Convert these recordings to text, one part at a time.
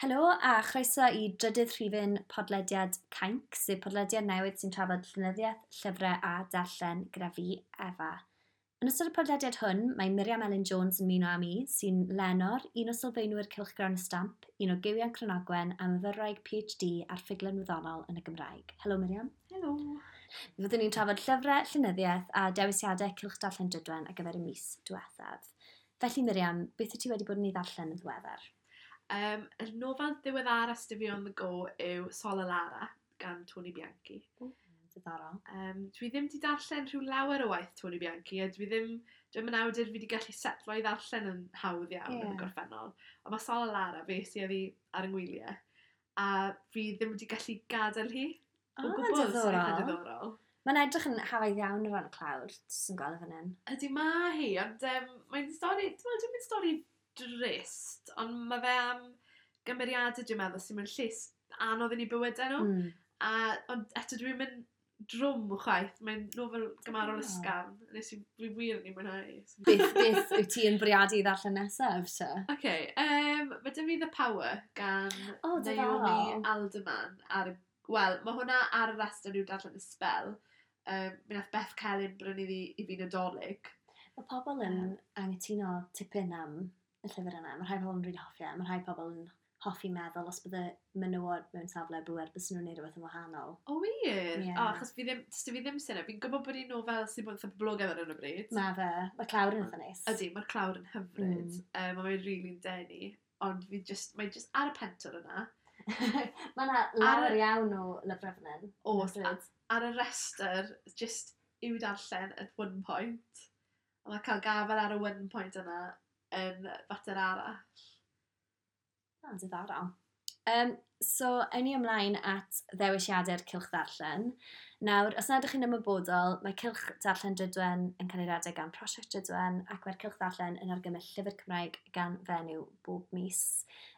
Helo a chroeso i drydydd rhifyn podlediad Cainc, sef podlediad newydd sy'n trafod llenyddiaeth, llyfrau a darllen gyda fi, Efa. Yn ystod y podlediad hwn, mae Miriam Elin Jones yn ymuno â mi, sy'n lenor, un o sylfaenwyr Cylchgrawn y Stamp, un o Gywion Cranogwen a myfyrwraig PhD ar ffuglen wyddonol yn y Gymraeg. Helo Miriam. Helo. Fyddwn ni'n trafod llyfrau, llenyddiaeth a dewisiadau Cylch Darllen Drydwen ar gyfer y mis diwethaf. Felly Miriam, beth wyt ti wedi bod yn ei ddarllen yn ddiweddar? Yr nofel ddiweddara sy 'da fi on the go yw Sol a Lara gan Tony Bianchi. O, diddorol. Dwi ddim 'di darllen rhyw lawer o waith Tony Bianchi a dwi ddim, dwi'm yn awdur fi 'di gallu setlo i ddarllen yn hawdd iawn yn y gorffennol. Ond mae Sol a Lara, fe sy oddi ar 'y ngwyliau, a fi ddim wedi gallu gadael hi o gwbl, sy'n eitha diddorol. Mae'n edrych yn hawdd iawn o ran y clawr, jyst yn gweld e fan hyn. Ydy, mae hi, ond mae'n stori, dwi'n meddwl, dim yn stori drist, ond mae fe am gymeriadau, dwi'n meddwl, sy'n mewn llys anodd yn eu bywydau nhw. A, ond eto dwi'n mynd drwm chwaith, mae'n nofel gymharol ysgafn, nes i fi wir yn ei mwynhau. Beth wyt ti yn bwriadu i ddarllen nesaf, te? Oce, mae 'da fi The Power gan O, diddorol. Naomi Alderman. Ar y, wel, mae hwnna ar y rhestr i'w darllen y sbel. Mi nath Beth Celyn brynu ddi i fi Nadolig. Mae pobl yn anghytuno tipyn am y llyfr yna. Mae rhai pobl yn rili hoffi e, mae rhai pobl yn hoffi meddwl os bydde menywod mewn safle bŵer, bysen nhw'n neud rhywbeth yn wahanol. O wir? Ie. O, achos fi ddim, does 'da fi ddim syniad. Fi'n gwybod bod hi'n nofel sy'n bod yn eitha poblogaidd ar hyn o bryd. Mae fe. Mae clawr yn eitha neis. Ydy, mae'r clawr yn hyfryd. Mae fe'n rili'n denu. Ond fi just, mae just ar y pentwr yna. Mae yna lawer iawn o lyfrau fan hyn. Oes, Hyfryd. ar y rhestr, just i'w darllen at one point. A mae cael gafael ar y one point yna yn fater arall. O, diddorol. So, ewn ni ymlaen at ddewisiadau'r Cylch Ddarllen. Nawr, os nad ydych chi'n ymwybodol, mae Cylch Darllen Drydwen yn cael ei redeg gan Prosiect Drydwen ac mae'r Cylch Ddarllen yn argymell llyfr Cymraeg gan fenyw bob mis.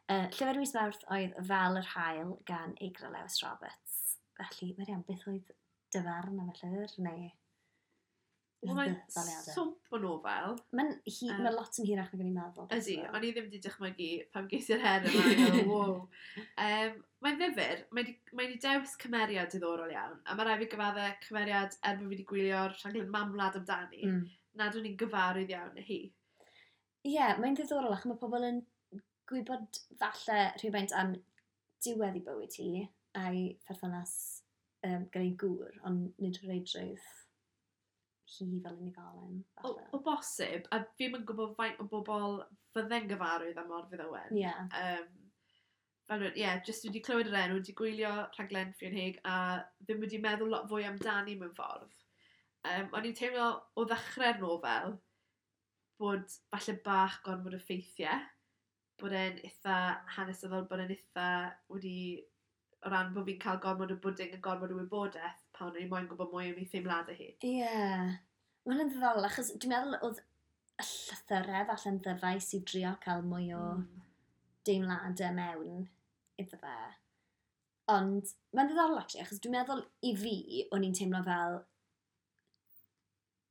Llyfr mis Mawrth oedd Fel yr Haul gan Eigra Lewis Roberts. Felly, Miriam, beth oedd dy farn am y llyfr, neu Wel, mae'n ddaliadau? swmp o nofel. Mae'n mae lot yn hirach nag o'n i'n meddwl, Ydy, beth o'n i ddim wedi dychmygu pan ges i'r her yma. O'n i'n meddwl, wow. Mae'n ddifyr, mae di dewis cymeriad diddorol iawn, a mae rhaid fi gyfadde cymeriad er bod fi wedi gwylio'r rhaglen Mamwlad amdani, nad o'n i'n gyfarwydd iawn â hi. Ie, yeah, mae'n ddiddorol achos mae pobl yn gwybod falle rhywfaint am diwedd ei bywyd hi a'i pherthynas gyda'i gŵr, ond nid reidrwydd hi fel unigolyn, falle. O bosib, a fi'm yn gwybod faint o bobl fydde'n gyfarwydd am Morfudd Owen. Fel, ie, yeah, jyst wedi clywed yr enw, wedi gwylio rhaglen Ffion Hague a ddim wedi meddwl lot fwy amdani mewn ffordd. O'n i'n teimlo o ddechrau'r nofel bod falle bach gormod o ffeithiau, bod e'n eitha hanesyddol, bod e'n eitha wedi, o ran bod fi'n cael gormod o bwding a gormod o wybodaeth pan o'n i moyn gwybod mwy am ei theimladau hi. Ie, yeah. Mae hwnna'n ddiddorol, achos dwi'n meddwl oedd y llythyrau falle'n ddyfais i drio cael mwy o deimladau mewn iddo fe. Ond mae'n ddiddorol, actually, achos dwi'n meddwl i fi, o'n i'n teimlo fel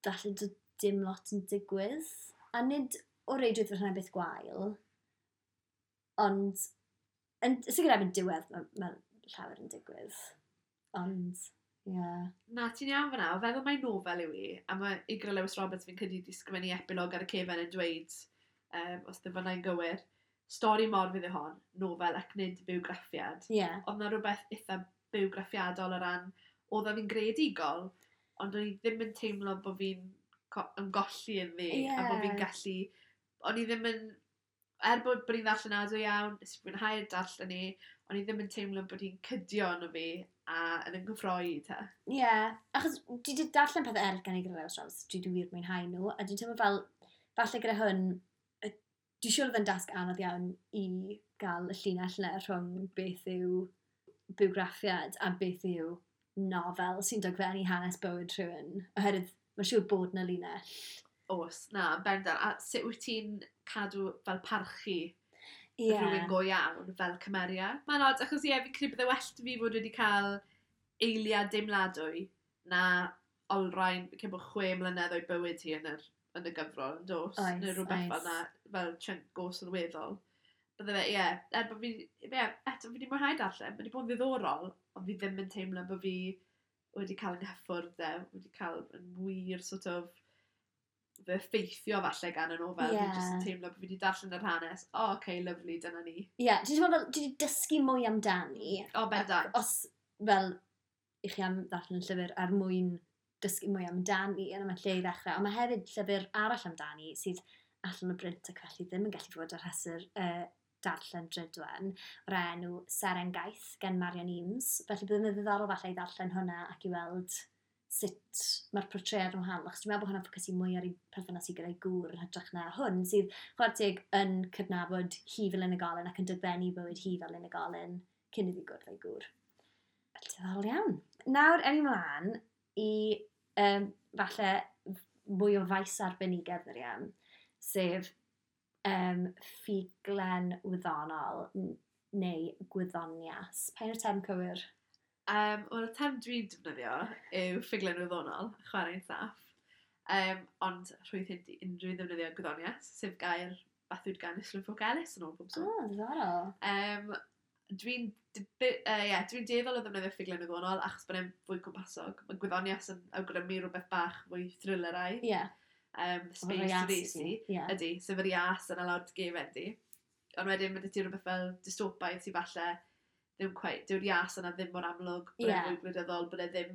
falle doedd dim lot yn digwydd. A nid o reidrwydd fod hwnna'n beth gwael, ond yn sicr erbyn diwedd mae llawer yn digwydd. Ond, ie. Yeah. Na, ti'n iawn fan'na. O feddwl mai nofel yw hi, a mae Eigra Lewis Roberts fi'n credu wedi sgrifennu epilog ar y cefen yn dweud, os ddim fan'na'n gywir, stori Morfudd yw hon, nofel ac nid bywgraffiad. Oedd 'na rhywbeth eitha bywgraffiadol o ran, oedd fi'n greadigol, ond o'n i ddim yn teimlo bod fi'n ymgolli ynddi, a bod fi'n gallu, o'n i ddim yn, er bod hi'n ddarllenadwy iawn, nes i fwynhau'r darllen i, o'n i ddim yn teimlo bod hi'n cydio arno fi a yn yng nghyffroi te. Ie, yeah, achos dwi wedi darllen pethau eraill gan Eigra Lewis Roberts, dwi wedi wir mwynhau nhw, a dwi'n teimlo fel, falle gyda hwn, dwi'n siŵr oedd yn dasg anodd iawn i gael y llinell yna rhwng beth yw bywgraffiad a beth yw nofel sy'n dogfennu hanes bywyd rhywun, oherwydd mae'n siŵr bod 'na linell. Oes, na, yn bendant. A sut wyt ti'n cadw fel parchu rhywun go iawn fel cymeriad? Mae'n od, achos ie, fi'n credu bydde well 'da fi fod wedi cael eiliad deimladwy na olrhain, fi'n credu bod 6 mlynedd o'i bywyd hi yn y gyfrol, yn dos? Oes, Neu rhywbeth fel oes. 'na, fel chunk go sylweddol. Bydde fe, ie, yeah, er bod fi, ie, yeah, eto fi wedi mwynhau darllen, mae wedi bod yn ddiddorol, ond fi ddim yn teimlo bod fi wedi cael yng nghyffwrdd e, wedi cael yn wir sort of fy effeithio falle gan y nofel. Yeah. Fi jyst yn teimlo bod fi wedi darllen yr hanes. O, oh, okay, lovely, dyna ni. Ie, yeah, dwi'n teimlo fel, dwi wedi dysgu mwy amdani. O, oh, bendant. Os, fel, i chi am ddarllen y llyfr er mwyn dysgu mwy amdani, yna mae lle i ddechrau. Ond mae hefyd llyfr arall amdani sydd allan o brint ac felly ddim yn gallu fod ar rhestr darllen Drydwen o'r enw Seren Gaeth gan Marion Eames. Felly bydd yn ddiddorol falle i ddarllen hwnna ac i weld sut mae'r portread yn wahanol. Achos dwi'n meddwl bod hwnna'n ffocysu mwy ar ei perthynas i gyda'i gŵr yn hytrach na hwn, sydd chwarae teg yn cydnabod hi fel unigolyn ac yn dogfennu bywyd hi fel unigolyn cyn iddi gwrdd â'i gŵr. Felly diddorol iawn. Nawr, ewn ni mlaen i falle mwy o faes arbenigedd, Miriam, sef ffuglen wyddonol neu gwyddonias. Pa yw'r term cywir? Wel, y term dwi'n defnyddio yw ffuglen wyddonol, chwarae'n saff. Ond rhwydd hyn i unrhyw ddefnyddio gwyddonias, sef gair bathwyd gan Islwyn Ffowc Elis yn ôl pob sôn. O, diddorol. Dwi'n dwi dueddol o ddefnyddio ffuglen wyddonol achos bod e'n fwy cwmpasog. Mae gwyddonias yn awgrymu rhywbeth bach fwy thrilleraidd. Ie. Space Odyssey. Ydy, sef yr ias yna lawr dy gefen di. Ond wedyn mae 'da ti rhywbeth fel dystopaidd sydd falle ddim quite, dyw'r ias yna ddim mor amlwg, bod e'n fwy gwleidyddol, bod e ddim,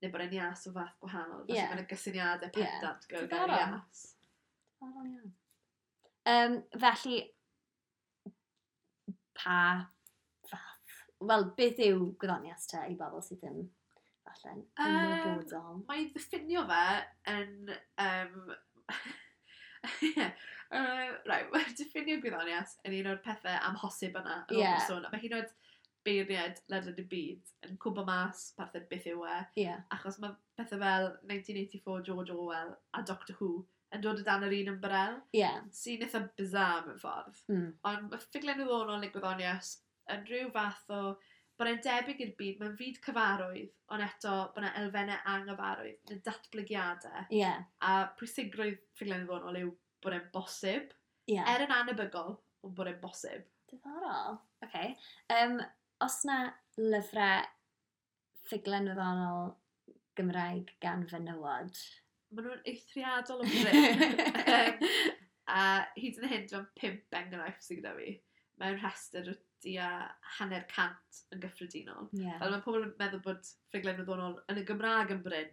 neu bod e'n ias o fath gwahanol. Felly mae'n gysyniadau pendant gyda'r gair ias. Diddorol iawn. Felly, pa fath, wel, beth yw gwyddonias te i bobl sydd ddim falle'n ymwybodol? Mae'n ddiffinio fe yn... right, mae diffinio gwyddonias yn un o'r pethau amhosib yna. Yn ôl sôn. Mae hyd yn oed beirniaid ledled y byd yn cwmpo mas parthed beth yw e. Achos mae pethau fel 1984 George Orwell a Doctor Who yn dod o dan yr un ymbarel. Sy'n eitha bizarre mewn ffordd. Ond mae ffuglen wyddonol neu gwyddonias yn rhyw fath o bod e'n debyg i'r byd, mae'n fyd cyfarwydd, ond eto bod yna elfennau anghyfarwydd, neu datblygiadau. A pwysigrwydd ffuglen wyddonol yw bod e'n bosib. Er yn anebygol, ond bod e'n bosib. Diddorol. Okay. Os na lyfrau ffuglen wyddonol Gymraeg gan fenywod? Maen nhw'n eithriadol o brin. A hyd yn hyn, dwi'n 5 enghraifft sydd gyda fi. Mewn rhestr o tua 150 yn gyffredinol. Fel mae pobl yn meddwl bod ffuglen wyddonol yn y Gymraeg yn brin,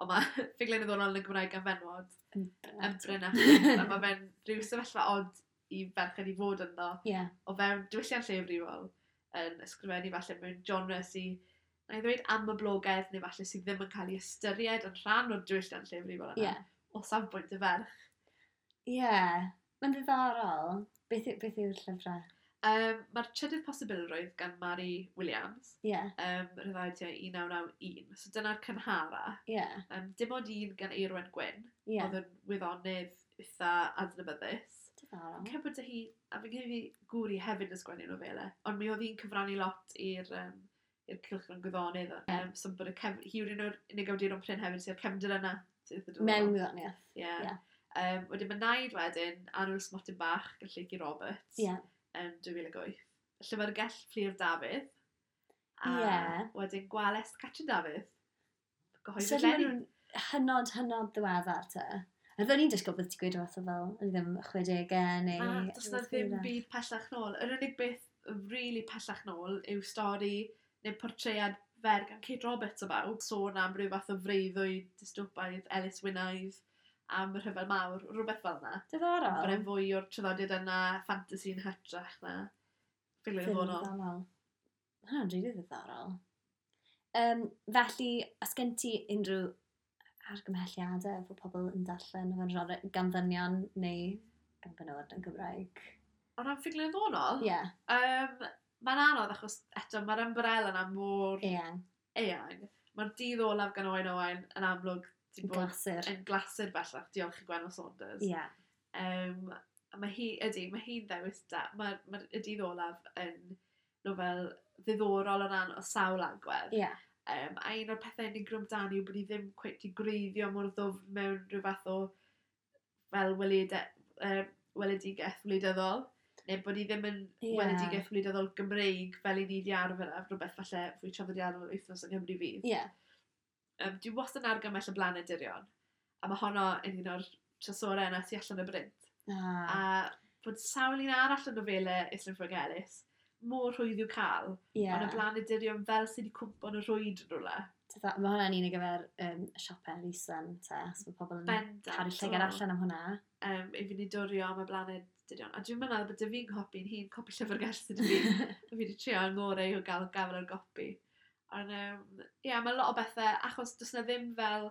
ond mae ffuglen wyddonol yn y Gymraeg gan fenywod yn brin. A mae fe'n rhyw sefyllfa od i ferched i fod ynddo. O fewn diwylliant lleiafrifol yn ysgrifennu falle mewn genre sydd, na i ddweud am y blogedd, neu falle sydd ddim yn cael ei ystyried yn rhan o'r diwylliant lleiafrifol yna, o safbwynt y ferch. Ie, mae'n ddiddorol. Beth yw'r llyfrau? Mae'r Trydydd Posibilrwydd gan Mari Williams. Rhyddhau tua 1991. So dyna'r cynhara. Dim ond un gan Eirwen Gwyn. Oedd yn wyddonydd eitha adnabyddus. Diddorol. Fi'n credu bod hi, a fi'n credu gŵr hi hefyd yn sgwennu nofelau, ond mi oedd hi'n cyfrannu lot i'r cylchgrawn gwyddonydd. So bod hi yw'r un o'r unig awduron prin hefyd sydd â'r cefndir yna. Mewn gwyddoniaeth. Ie. Wedyn mae naid wedyn, Annwyl Smotyn Bach gan Lleucu Roberts. Yn 2008. Llyfrgell Fflur Dafydd. A wedyn Gwales Catrin Dafydd. Gyhoeddwyd So eleni. maen nhw'n hynod, hynod ddiweddar te. A oedden ni'n disgwyl bod ti'n gweud rhywbeth fel, o'n i ddim 60au neu... Na, does na ddim byd pellach nôl. Yr unig beth really pellach nôl yw stori neu portread fer gan Kate Roberts o bawb. Sôn am ryw fath o freuddwyd dystopaidd, Ellis Wynaidd, am y rhyfel mawr, rhywbeth fel yna. Diddorol. Bod e'n fwy o'r traddodiad yna, ffantasy yn hytrach na. Ffuglen wyddonol. Diddorol. Ma' hwnna'n rili ddiddorol. Felly, os gen ti unrhyw argymhelliadau fod pobl yn darllen efo'n genre gan ddynion neu gan benywod yn Gymraeg? O ran ffuglen wyddonol? Ie. Mae'n anodd achos eto mae'r ymbarel yna mor eang. eang. Mae'r Dydd Olaf gan Owain Owain yn amlwg 'di bod Glasur. yn glasur bellach, diolch i Gwenno Saunders. A mae hi, ydy, mae hi'n ddewis da. Mae'r Y Dydd Olaf yn nofel ddiddorol o ran o sawl agwedd. A un o'r pethau unigryw amdani yw bod hi ddim cweit 'di gwreiddio mor ddwfn mewn rhyw fath o fel weledigaeth wleidyddol. Neu bod hi ddim yn weledigaeth wleidyddol Gymreig fel i ni wedi arfer â, rhywbeth falle fwy traddodiadol Wythnos yng Nghymru Fydd. Dwi wastad yn argymell Y Blaned Dirion, a mae honno yn un o'r trysorau yna sy'n allan o brint. A bod sawl un arall yn nofelau Islwyn Ffowc Elis, mor rhwydd i'w cael, ond Y Blaned Dirion fel sydd wedi cwmpo yn y rhwyd yn rhywle. Mae hwnna'n un ar gyfer siopau elusen, te, os mae pobl yn cadw llygad allan am hwnna. I fynd i dwrio am Y Blaned Dirion. A dwi'n meddwl bod dy fi'n copi'n hun, copi llyfrgell sydd dy fi. A fi wedi trio yng ngorau o gael gafel ar gopi. Ond, ie, yeah, mae lot o bethau, achos does na ddim fel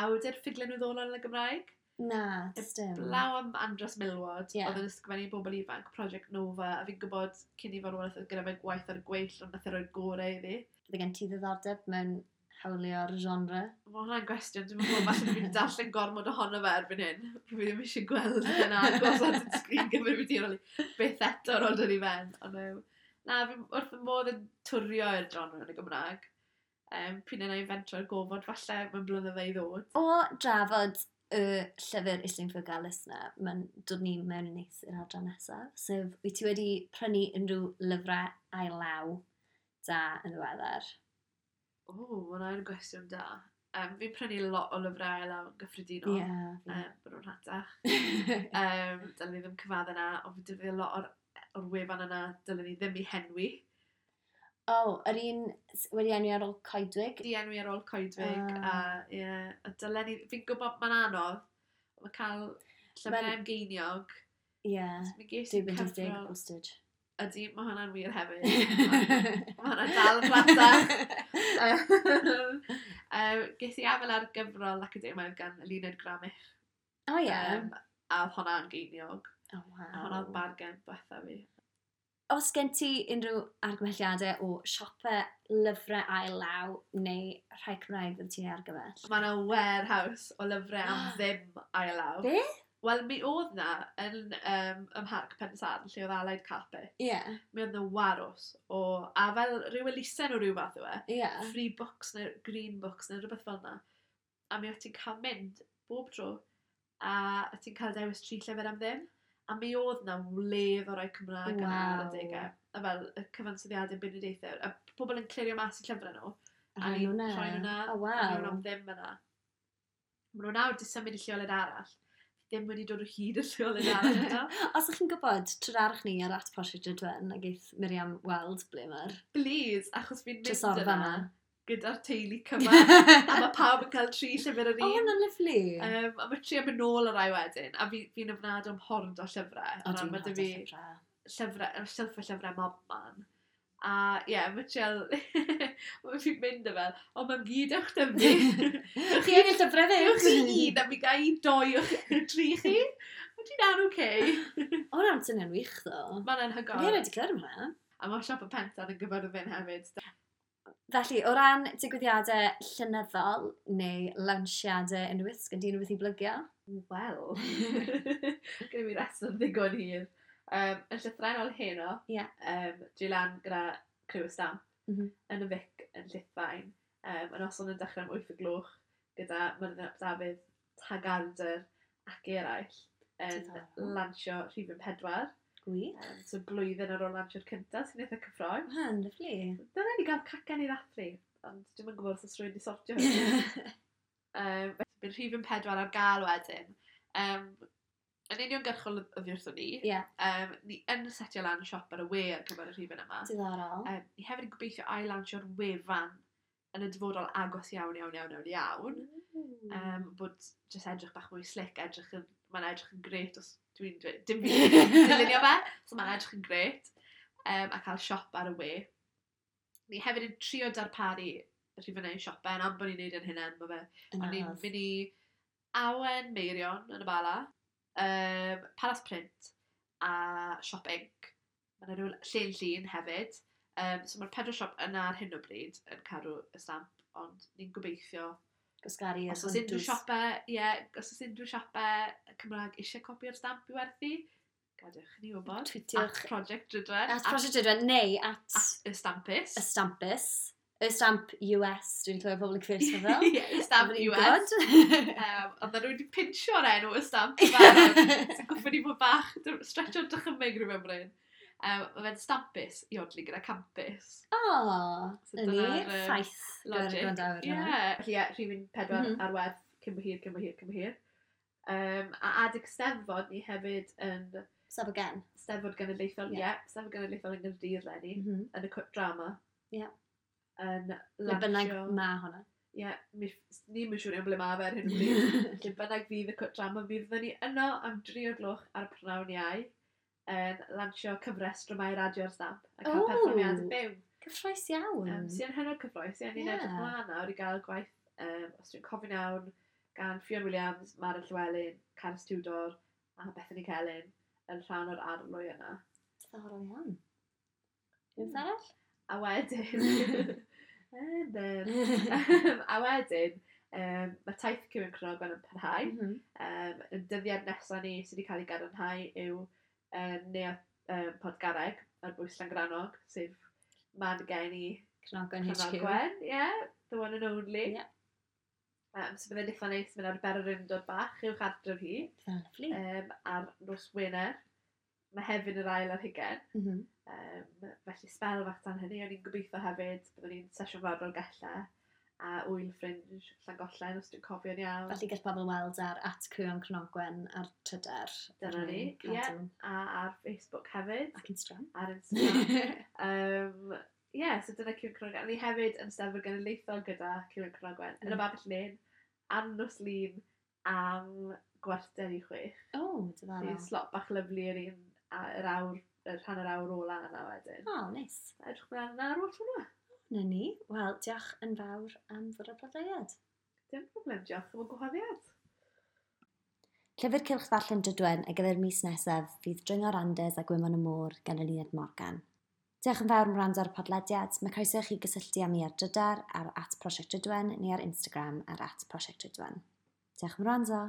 awdur ffuglen wyddonol yn y Gymraeg. Na, does dim. Blaw am Andros Milward, oedd yn ysgrifennu bobl ifanc, Project Nova, a fi'n gwybod cyn i farwolaeth oedd gyda fe gwaith ar y gweill, ond nath e roi'r gorau iddi. Bydde gen ti ddiddordeb mewn hawlio'r genre? Mae hwnna'n gwestiwn, dwi'n meddwl falle fi wedi darllen gormod ohono fe erbyn hyn. Fi ddim eisiau gweld yna gosod yn sgrin gyfrifiadurol i byth eto ar ôl dod i ben. Ond na, fi wrth y modd yn twrio i'r genre yn y Gymraeg. Pryd yna i fentro'r gofod falle mewn blynyddoedd i ddod. O drafod y llyfr Islwyn Ffowc Elis na, mae'n dod ni mewn yn neis i'r adran nesaf. Sef, wyt ti wedi prynu unrhyw lyfrau ail law da yn ddiweddar? O, mae hwnna'n gwestiwn da. Fi'n prynu lot o lyfrau ail law yn gyffredinol. Bod nhw'n rhatach. Dylen ni ddim cyfadde yna, ond fi'n defnyddio lot o'r wefan yna, dylen ni ddim i henwi. O, oh, yr un wedi enwi ar ôl coedwig? Di enwi ar ôl coedwig, a, ie, a dylen ni, fi'n gwybod mae'n anodd, mae cael llyfrau am geiniog. Ie, So mi ges i 2.80 cyfrol postage. Ydy, mae hwnna'n wir hefyd. Mae hwnna'n dal yn rhatach. Ges i afel ar gyfrol academaidd gan Eluned Gramich. O ie. A oedd hwnna'n geiniog. Oh, wow. A hwnna'n bargen diwetha fi. Os gen ti unrhyw argymhelliadau o siopau lyfrau ail law neu rhai Cymraeg fydd ti'n argymell? Mae yna warehouse o lyfrau am ddim ail law. Be? Wel, mi oedd na yn ym Mharc Pensarn, lle oedd Allied Carpet. Mi oedd na warws o, a fel rhyw elusen o ryw fath yw e. Free Books neu Green Books neu rhywbeth fel yna. A mi oedd ti'n cael mynd bob tro a oedd ti'n cael dewis 3 llyfr am ddim. A mi oedd na wledd o rai Cymraeg yna ar adegau. A fel y cyfansoddiadau beirniadaethau. A pobl yn clirio mas i llyfrau nhw. A A rhoi ni'n nhw 'na. rhoi nhw 'na. O, A waw. nhw'n am ddim yna. Maen nhw nawr 'di symud i lleoliad arall. Ddim wedi dod o hyd y lleoliad arall eto. Os ydych chi'n gwybod, trydarwch ni ar @ProsiectDrudwen a geith Miriam weld ble mae'r Please, achos fi'n mynd trysorfa yna yma. gyda'r teulu cyfan. A mae pawb yn cael 3 llyfr yr O, un. hwnna'n lyfli. A mae tri am mynd nôl y rai wedyn. A fi'n ofnadwy am hordo llyfrau. O, O ran, dwi'n mae 'da hordo fi llyfrau. llyfrau, silff o llyfrau mob man. A ie, yeah, mae trial, mae fi'n mynd y fel, o, mae'n gyd ewch dy fi. Chi angen llyfrau Ewch ddim? chi un, a mi gael un doi o'ch tri chi. Mae ti'n an oce. O, hwnna'n swnio'n wych, ddo. Mae'n Fi anhygoel. erioed wedi clywed am hwnna. A mae siop y Pentan yn gyfyrddin hefyd. Felly, o ran digwyddiadau llenyddol neu lawnsiadau unrhyw beth, sgen ti unrhyw beth i blygio? Wel, gyda fi restr ddigon hir. Yn llythrennol heno, dwi lan gyda criw y Stamp yn y Vic yn Llithfaen. Y noson yn dechrau am 8 o gloch gyda Myrddin ap Dafydd, Tagarder ac eraill yn Diddorol. lansio rhifyn 4. Gwych. So blwyddyn ar ôl lansio'r cyntaf sy'n eitha cyffrous. Hwnna'n lyfli. Dyna ni gael cacan i ddathlu, ond dwi'm yn gwybod os oes rhywun wedi sortio hynny. Bydd rhifyn 4 ar gael wedyn. Yn uniongyrchol oddi wrthon ni. Ni yn setio lan siop ar y we ar gyfer y rhifyn yma. Diddorol. Ni hefyd yn gobeithio ail-lansio'r wefan yn y dyfodol agos iawn, iawn, iawn, iawn, iawn. Bod jyst edrych bach mwy slick, mae'n edrych yn grêt os dwi'n dweud, dim fi dylunio fe, so mae'n edrych yn grêt. A cael siop ar y we. Ni hefyd yn trio darparu rhifynnau i siopau, am bod ni'n neud yn hynna, mae fe. Yn O'n i'n anodd. mynd i Awen Meirion yn y Bala, Palas Print a Siop Inc. Mae yna rhyw Llun Llun hefyd. So mae'r 4 siop yna ar hyn o bryd yn cadw y stamp, ond ni'n gobeithio Gwasgaru yr os oes unrhyw hwntws. siopau, ie, os oes unrhyw siopau Cymraeg eisiau copi o'r stamp i werthu, gadewch i ni wybod. Tweetiwch. At Project Drudwen. At Project Drudwen neu at At y Stampus. y Stampus. Y stamp US, dwi'n clywed pobl yn cyfeirio ato fel. Ie, y stamp Dwi'n US. gwbod. Ond nhw wedi pinsio'r enw y stamp yn barod. Sy'n goffod i fod bach, stretcho'r dychymyg rhywun bryn. Mae fe'n stampus i odli gyda campus. O, So na ni, dyna'r, ffaith gyda'r Logic. gwrandawyr Ie. yna. Felly ie, rhifyn 4 ar werth, cyn bo hir, cyn bo hir, cyn bo hir. A adeg Steddfod, ni hefyd yn Sef again. Steddfod Genedlaethol, ie, yeah, Steddfod Genedlaethol yn Gaerdydd leni, yn y cwt drama. Yn Le bynnag lansio. ma hwnna. Ie, ni'n mynd siŵr iawn ble ma fe ar hyn o bryd. Lle bynnag fydd y cwt drama, mi fyddwn ni yno am 3 o'r gloch ar y prynhawn Iau yn lansio cyfres dramâu radio ar stamp a cael Ww. perfformiad byw. Cyffroes iawn. Sy'n hynod cyffroes, ie, ni'n edrych mlaen nawr i gael gwaith, os dwi'n cofio'n iawn, gan Ffion Williams, Maren Llywelyn, Carys Tudor a Bethany Celyn yn rhan o'r arlwy yna. Diddorol iawn. Rhywbeth arall? A wedyn, and then, a wedyn, mae taith Cyw Cranogwen yn parhau. Y dyddiad nesaf ni sydd wedi cael ei gadarnhau yw Neuadd Podgareg ar bwys Llangrannog, sef man geni Cranogwen HQ. Cranogwen, yeah, the one and only. So byddai'n eitha neis mynd ar bererindod bach i'w chartref hi Byddai'n lyfli. ar nos Wener. Mae hefyd yr ail ar hugen. Felly sbel fach tan hynny, o'n i'n gobeithio hefyd, byddwn ni'n sesiwn fawr Dolgellau a wyl Fringe Llangollen, os dwi'n cofio'n iawn. Felly gall pobl weld ar @cwioncranogwen ar Trydar. Dyna ni, ie. Cadw. A ar Facebook hefyd, Ac Instagram. ar Instagram. Yeah, so dyna Cyw Cranogwen. A ni hefyd yn Steddfod Genedlaethol gyda Cyw Cranogwen yn y Babell Lên, ar nos Lun am 5:45. O, So, diddorol. slot bach lyfli yr un, yr awr, yr hanner awr ola yna wedyn. O, neis. Edrych mlaen yna ar ôl tro yna. Na ni. Wel, diolch yn fawr am fod ar podlediad. Dim problem, diolch am y gwahoddiad. Llyfr Cylch Ddarllen Drydwen ar gyfer mis nesaf fydd Dringo'r Andes a Gwymon y Môr gan Eluned Morgan. Diolch yn fawr am wrando ar y podlediad. Mae croeso i chi gysylltu â mi ar Drydar ar @prosiectdrydwen neu ar Instagram ar @prosiectdrydwen. Diolch am wrando.